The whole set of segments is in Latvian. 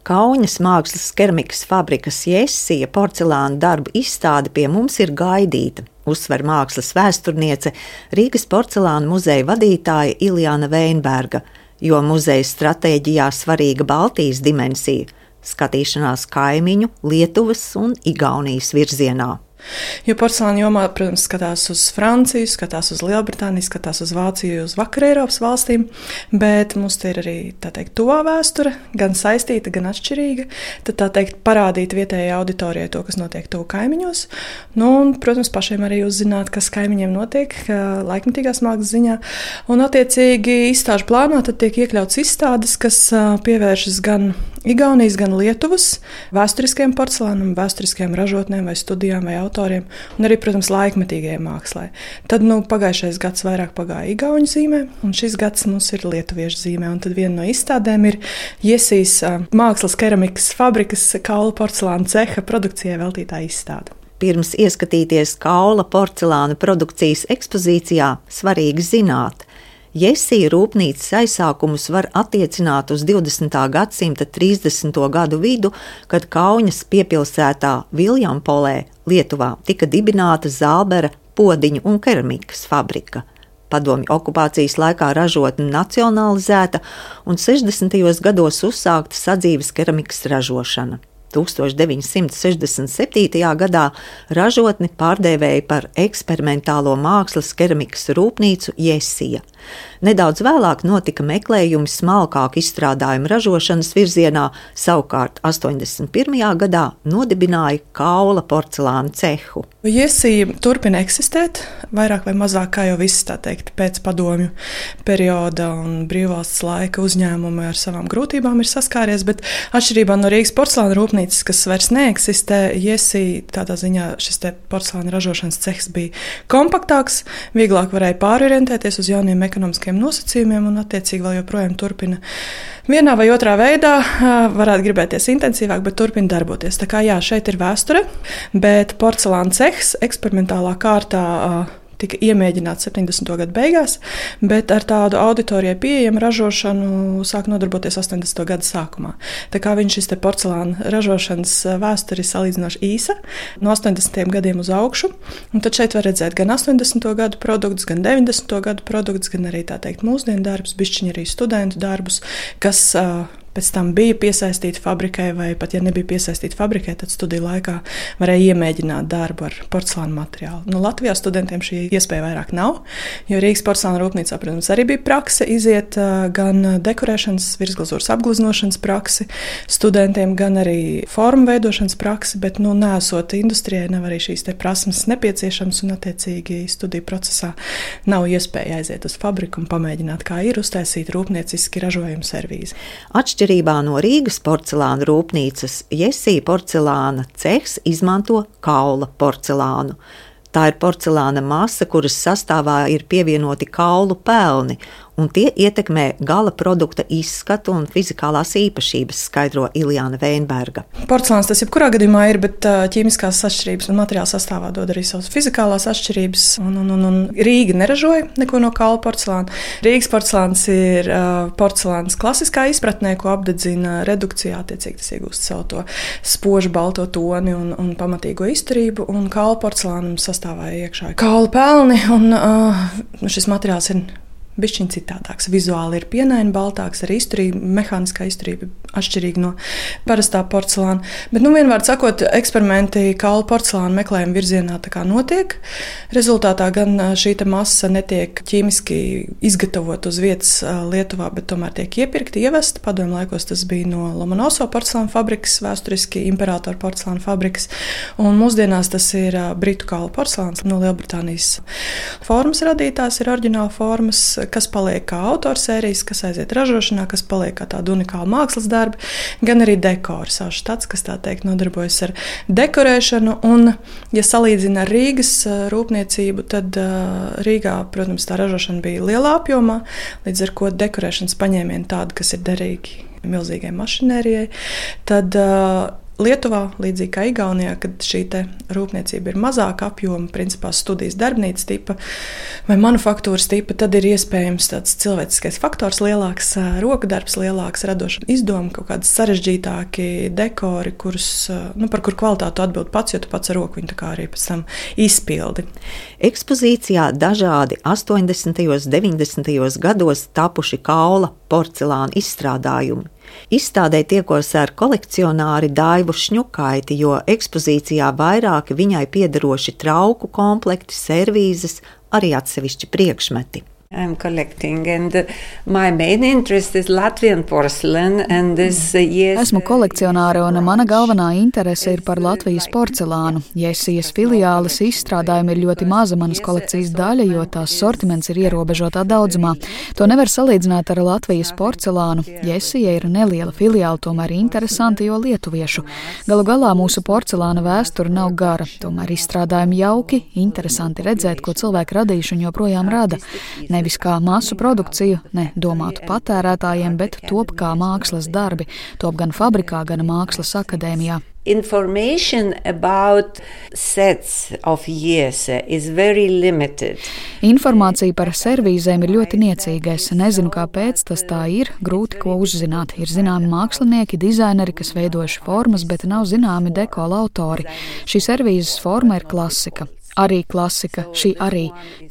Kaunas mākslas keramikas fabrikas Jessija porcelāna darbu izstāde pie mums ir gaidīta, uzsver mākslas vēsturniece Rīgas porcelāna muzeja vadītāja Iljana Veinberga, jo muzeja stratēģijā svarīga Baltijas dimensija – skatīšanās kaimiņu, Lietuvas un Igaunijas virzienā. Jo porcelāna jomā, protams, skatās uz Franciju, skatās uz Lielbritāniju, skatās uz Vāciju, uz Vakar Eiropas valstīm, bet mums te ir arī, tā teikt, tuvā vēsture, gan saistīta, gan atšķirīga. Tad, tā teikt, parādīt vietējai auditorijai to, kas notiek tuvu kaimiņos. Nu, un, protams, pašiem arī uzzināt, kas kaimiņiem notiek laikmetīgās mākslas ziņā. Un, attiecīgi, izstāžu plānā tad tiek iekļauts izstādes, kas pievēršas gan Igaunijas, gan Lietuvas vēsturiskiem porcelānam, vēsturiskiem ražotnēm vai studijām vai autoriem, un arī, protams, laikmetīgajai mākslai. Tad, pagājušais gads vairāk pagāja igauņu zīmē, un šis gads mums ir lietuviešu zīmē, un tad viena no izstādēm ir Jessijas mākslas keramikas fabrikas kaula porcelāna ceha produkcijai veltītā izstāde. Pirms ieskatīties kaula porcelāna produkcijas ekspozīcijā, svarīgi zināt, Jessija rūpnīcas aizsākumus var attiecināt uz 20. gadsimta 30. gadu vidu, kad Kaunas piepilsētā Viljampolē, Lietuvā, tika dibināta Zālbera podiņu un keramikas fabrika. Padomju okupācijas laikā ražotne nacionalizēta un 60. gados uzsākta sadzīves keramikas ražošana. 1967. gadā ražotni pārdēvēja par eksperimentālo mākslas keramikas rūpnīcu Jessija. Nedaudz vēlāk notika meklējumi smalkāku izstrādājumu ražošanas virzienā, savukārt 81. gadā nodibināja kaula porcelāna cehu. Jessija turpina eksistēt, vairāk vai mazāk, kā jau viss, tā teikt, pēc padomju perioda un brīvvalsts laika uzņēmumi ar savām grūtībām ir saskāries, bet atšķirībā no Rīgas porcelāna rūpnīcas, kas vairs neeksistē, Jessija tādā ziņā šis te porcelāna ražošanas cehs bija kompaktāks, vieglāk varēja pārorientēties uz jauniem ekonomiskiem nosacījumiem un attiecīgi vēl joprojām turpina vienā vai otrā veidā, varētu gribēties intensīvāk, bet turpina darboties. Tā kā jā, šeit ir vēsture, bet porcelāna cehs eksperimentālā kārtā tika iemēģināts 70. gadu beigās, bet ar tādu auditorijai pieejamu ražošanu sāk nodarboties 80. gadu sākumā. Tā kā viņš šis te porcelāna ražošanas vēsture ir salīdzinoši īsa, no 80. gadiem uz augšu, un tad šeit var redzēt gan 80. gadu produktus, gan 90. gadu produktus, gan arī, tā teikt, mūsdienu darbus, bišķiņi arī studentu darbus, kas pēc tam bija piesaistīti fabrikai, vai pat, ja nebija piesaistīti fabrikai, tad studiju laikā varēja iemēģināt darbu ar porcelāna materiālu. Latvijā studentiem šī iespēja vairāk nav, jo Rīgas porcelāna rūpnīcā, protams, arī bija prakse iziet gan dekorēšanas, virsglazūras apgleznošanas praksi studentiem, gan arī formu veidošanas praksi, bet, neesot industrijai, nav arī šīs te prasmes nepieciešams, un attiecīgi studiju procesā nav iespēja aiziet uz fabriku un pamēģināt, kā ir uztaisīt rūpnieciski ražojumu servīzi. Atšķirībā no Rīgas porcelāna rūpnīcas, Jessija porcelāna cehs izmanto kaula porcelānu. Tā ir porcelāna masa, kuras sastāvā ir pievienoti kaulu pelni, un tie ietekmē gala produkta izskatu un fizikālās īpašības, skaidro Iljana Veinberga. Porcelāns tas jebkurā gadījumā ir, bet ķīmiskās atšķirības un materiāla sastāvā dod arī savas fizikālās atšķirības, un Rīga neražoja neko no kaula porcelāna. Rīgas porcelāns ir porcelāns klasiskā izpratnē, ko apdedzina redukcijā, attiecīgi tas iegūst savu to spožu balto toni un pamatīgo izturību, un kaula porcelānam sastāvā iekšā kaula pelni, un šis materiāls ir bišķiņ citādāks. Vizuāli ir pienaini baltāks, arī izturība, mehāniskā izturība atšķirīga no parastā porcelāna. Bet, vienvārds sakot, eksperimenti kaula porcelāna meklējuma virzienā tā kā notiek. Rezultātā gan šī masa netiek ķīmiski izgatavot uz vietas Lietuvā, bet tomēr tiek iepirkta, ievesta. Padomju laikos tas bija no Lomonoso porcelāna fabrikas, vēsturiski Imperatora porcelāna fabrikas, un mūsdienās tas ir britu kaula porcelāns no Lielbritānijas. Formas radītās ir oriģināla formas, kas paliek kā autorsērijas, kas aiziet ražošanā, kas paliek kā tāda unikāla mākslas darbi, gan arī dekori, savs štats, kas tā teikt nodarbojas ar dekorēšanu. Un, ja salīdzina ar Rīgas rūpniecību, tad Rīgā, protams, tā ražošana bija lielā apjomā, līdz ar ko dekorēšanas paņēmieni tādi, kas ir derīgi milzīgai mašinērijai, tad Lietuvā, līdzīgi kā Igaunijā, kad šī rūpniecība ir mazāka apjoma, principā studijas darbnīcas tipa vai manufaktūras tipa, tad ir iespējams tāds cilvēciskais faktors lielāks, rokadarbs lielāks, radoša izdoma, kaut kādi sarežģītāki dekori, par kur kvalitātu atbild pats, jo tu pats ar roku viņu tā kā arī pēc tam izpildi. Ekspozīcijā dažādi 80. un 90. gados tapuši kaula, porcelāna izstrādājumi. Izstādē tiekos ar kolekcionāri Daivu Šņukaiti, jo ekspozīcijā vairāki viņai piederoši trauku komplekti, servīzes, arī atsevišķi priekšmeti. I'm collecting and my main interest is Latvian porcelain and this yes. Esmu kolekcionāre un mana galvenā interese ir par Latvijas porcelānu. Jesijas filiāles izstrādājumi ir ļoti maza manas kolekcijas daļa, jo tās sortiments ir ierobežotā daudzumā. To nevar salīdzināt ar Latvijas porcelānu. Jesija ir neliela filiāla, tomēr interesanti, jo lietuviešu. Galu galā mūsu porcelāna vēsture nav gara, tomēr izstrādājumi jauki, interesanti redzēt, ko cilvēki radījuši un joprojām rada. Nevis kā masu produkciju, ne domātu patērētājiem, bet top kā mākslas darbi, top gan fabrikā, gan mākslas akadēmijā. Information about sets of Jese is very limited. Informācija par servīzēm ir ļoti niecīga. Es nezinu, kāpēc tas tā ir, grūti ko uzzināt. Ir zināmi mākslinieki, dizaineri, kas veidojuši formas, bet nav zināmi dekola autori. Šī servīzes forma ir klasika. Arī klasika, šī arī.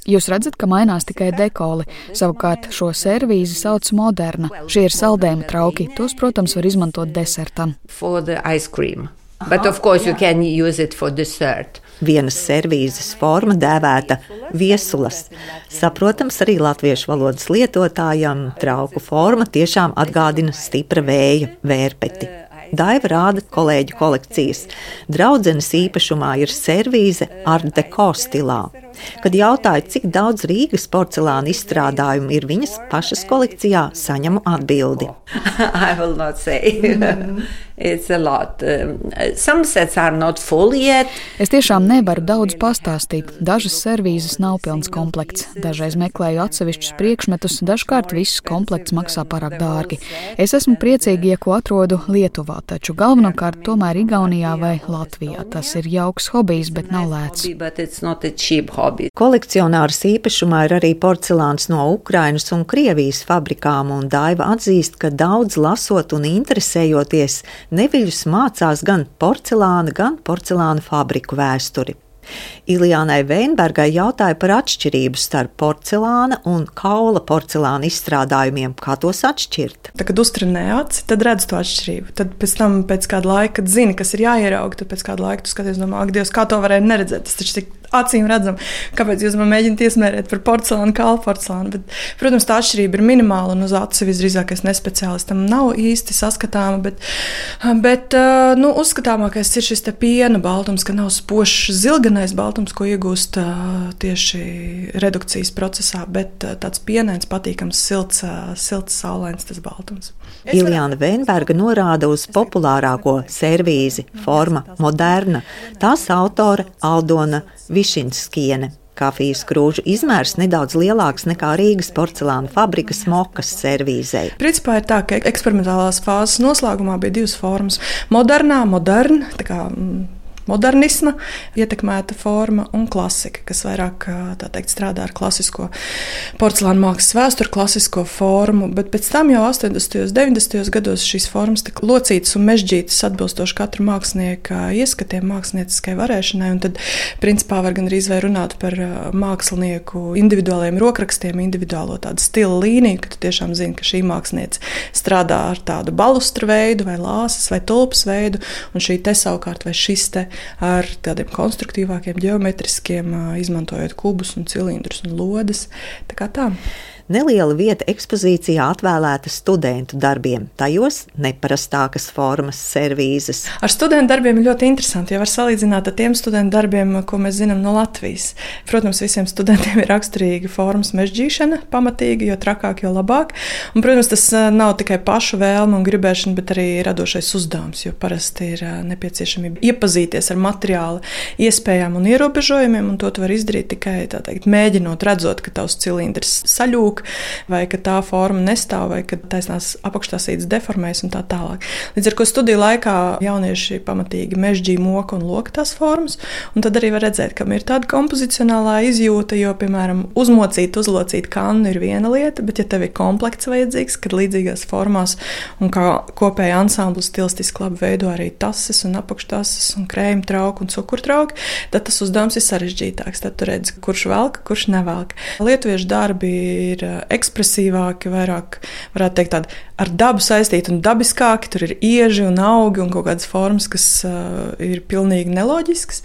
Jūs redzat, ka mainās tikai dekoli. Savukārt šo servīzi sauc moderna. Šie ir saldējuma trauki. Tos, protams, var izmantot desertam. For the ice cream. But of course you can use it for dessert. Vienas servīzes forma dēvēta viesulas. Saprotams, arī latviešu valodas lietotājam trauku forma tiešām atgādina stipra vēja vērpeti. Daiva rāda kolēģu kolekcijas. Draudzenes īpašumā ir servīze Art Deco stilā. Kad jautāju, cik daudz Rīgas porcelāna izstrādājumu ir viņas pašas kolekcijā, saņemu atbildi. I will not say. It's a lot. Some sets are not full yet. Es tiešām nevaru daudz pastāstīt. Dažas servīzes nav pilns komplekts. Dažreiz meklēju atsevišķus priekšmetus, dažkārt viss komplekts maksā pārāk dārgi. Es esmu priecīga, ja ko atrodu Lietuvā, taču galvenokārt tomēr Igaunijā vai Latvijā. Tas ir jauks hobijs, bet nav lēts. Kolekcionāras īpašumā ir arī porcelāns no Ukrainas un Krievijas fabrikām, un Daiva atzīst, ka daudz lasot un interesējoties neviļus mācās gan porcelāna fabriku vēsturi. Iljānai Veinbergai jautāja par atšķirību starp porcelāna un kaula porcelāna izstrādājumiem. Kā tos atšķirt? Tad, kad uztrenē aci, tad redz to atšķirību. Tad pēc kāda laika, kad zini, kas ir jāierauga, tad pēc kāda laika tu skaties, domā, ak, Dievs, kā to varēja neredzēt? Tas taču tik acīm redzam, kāpēc jūs man mēģināt iesmērēt par porcelānu, kaula porcelānu. Bet, protams, tā atšķirība ir minimāla un uz acu visdrīzākais nespeciālistam nav īsti saskatāma, bet uzskatāmākais ir šis te piena baltums, ka nav spožs zilganais baltums, ko iegūst tieši redukcijas procesā, bet tāds pienains, patīkams, silts, saulains tas baltums. Iljāna Veinberga norāda uz populārāko servīzi, forma moderna. Tās autore Aldona Višinskiene. Kafijas krūžu izmērs nedaudz lielāks nekā Rīgas porcelāna fabrikas Mokas servīzei. Principā ir tā, ka eksperimentālās fāzes noslēgumā bija divas formas. Moderna, tā kā modernisma ietekmēta forma un klasika, kas vairāk strādā ar klasisko porcelāna mākslas vēsturi, klasisko formu, bet pēc tam jau 80. un 90. gados šīs formas tika locītas un mežģītas atbilstoši katra mākslinieka ieskatiem, mākslinieciskai varēšanai, un tad principā var gandrīz vai runāt par mākslinieku individuāliem rokrakstiem, individuālo tādu stila līniju, ka tu tiešām zini, ka šī mākslinieca strādā ar tādu balustra veidu vai lāses vai tulpas veidu, un šī te savukārt vai šis te ar tādiem konstruktīvākiem, ģeometriskiem, izmantojot kubus un cilindrus un lodes. Tā kā tā. Neliela vieta ekspozīcijā atvēlēta studentu darbiem, tajos neparastākas formas servīzes. Ar studentu darbiem ir ļoti interesanti, jo var salīdzināt ar tiem studentu darbiem, ko mēs zinām no Latvijas. Protams, visiem studentiem ir raksturīga formas mežģīšana, pamatīga, jo trakāk, jo labāk. Un, protams, tas nav tikai pašu vēlme un gribēšana, bet arī radošais uzdevums, jo parasti ir nepieciešamība iepazīties ar materiāla iespējām un ierobežojumiem, un to tu var izdarīt tikai, mēģinot, redzot, ka tavs cilindrs saļūk, sabrūk, vai ka tā forma nestāv, vai ka taisnās apakštāsītes deformējas un tā tālāk. Līdz ar ko studiju laikā jaunieši pamatīgi mežģīja, moka un loka tās formas, un tad arī var redzēt, kam ir tāda kompozicionālā izjūta, jo, piemēram, uzlocīt kannu ir viena lieta, bet ja tev ir komplekts vajadzīgs, kad līdzīgās formās un kā kopēja ansamblis stilistiski labi veido arī tases un apakštases un krējuma trauku un cukurtrauki, tad tas uzdevums ir sarežģītāks. Tad tu redzi, kurš velk, kurš nevelk. Lietuviešu darbi ir ekspresīvāki, vairāk, varētu teikt, tādi ar dabu saistīti un dabiskāki. Tur ir ieži un augi un kaut kādas formas, kas ir pilnīgi neloģiskas.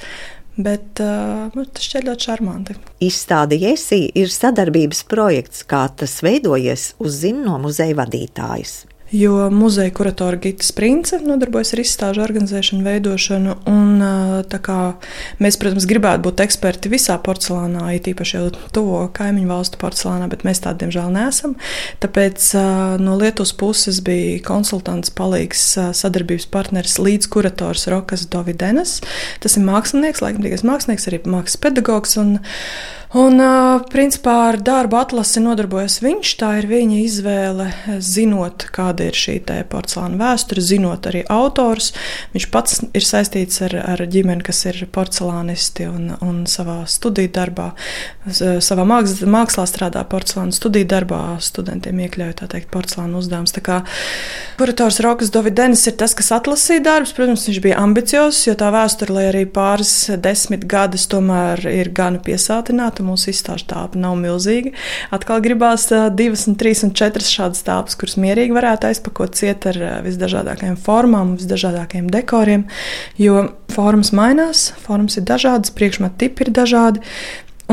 Bet tas šķiet ļoti šarmanti. Izstāde Jesī ir sadarbības projekts, kā tas veidojies, uzzina no muzeja vadītājas. Jo muzeja kuratora Gita Sprince nodarbojas ar izstāžu organizēšanu, veidošanu, un tā kā mēs, protams, gribētu būt eksperti visā porcelānā, it īpaši jau tuvo kaimiņu valstu porcelānā, bet mēs tādi, diemžēl, neesam. Tāpēc no Lietuvas puses bija konsultants, palīgs, sadarbības partneris, līdzkurators Rokas Dovidenes. Tas ir mākslinieks, laikmatīgais mākslinieks, arī mākslas pedagogs, un principā ar darbu atlasi nodarbojas viņš. Tā ir viņa izvēle, zinot, kāda ir šī porcelāna vēsture, zinot arī autors. Viņš pats ir saistīts ar ģimeni, kas ir porcelānisti un savā studiju darbā, savā mākslā strādā porcelāna studiju darbā, studentiem iekļauj, tā teikt, porcelāna uzdevums. Tā kā kurators Rokas Dovidenes ir tas, kas atlasīja darbus. Protams, viņš bija ambiciozs, jo tā vēsture, lai arī pāris 10 gadus tomēr ir gan piesātināta, mūsu izstāžu tāpa nav milzīga. Atkal gribās 2, 3 un 4 šādas tāpas, kuras mierīgi varētu aizpakot ciet ar visdažādākajām formām, visdažādākajiem dekoriem, jo formas mainās, formas ir dažādas, priekšmetu tipi ir dažādi.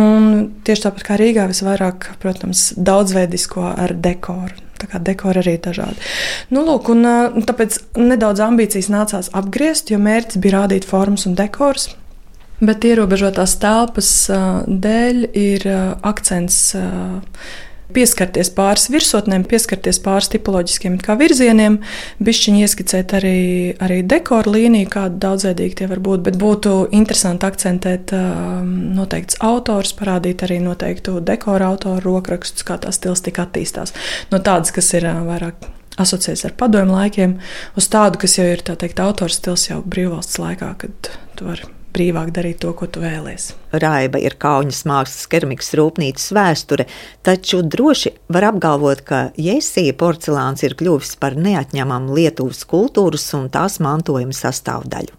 Un tieši tāpat kā Rīgā visvairāk, protams, daudzveidisko ar dekoru. Tā kā dekori arī ir dažādi. Lūk, un tāpēc nedaudz ambīcijas nācās apgriezt, jo mērķis bija rādīt formas un dekorus. Bet ierobežotās telpas dēļ ir akcents pieskarties pāris virsotnēm, pieskarties pāris tipoloģiskiem virzieniem, bišķiņi ieskicēt arī dekoru līniju, kāda daudzveidīgi tie var būt, bet būtu interesanti akcentēt noteikts autors, parādīt arī noteiktu dekoru autoru rokrakstus, kā tā stilistika attīstās. No tādas, kas ir vairāk asociēts ar padomju laikiem, uz tādu, kas jau ir, tā teikt, autors stils jau brīvvalsts laikā, kad tu vari brīvāk darīt to, ko tu vēlies. Raiba ir Kauņas mākslas keramikas rūpnīcas vēsture, taču droši var apgalvot, ka Jesī porcelāns ir kļuvis par neatņemamu Lietuvas kultūras un tās mantojuma sastāvdaļu.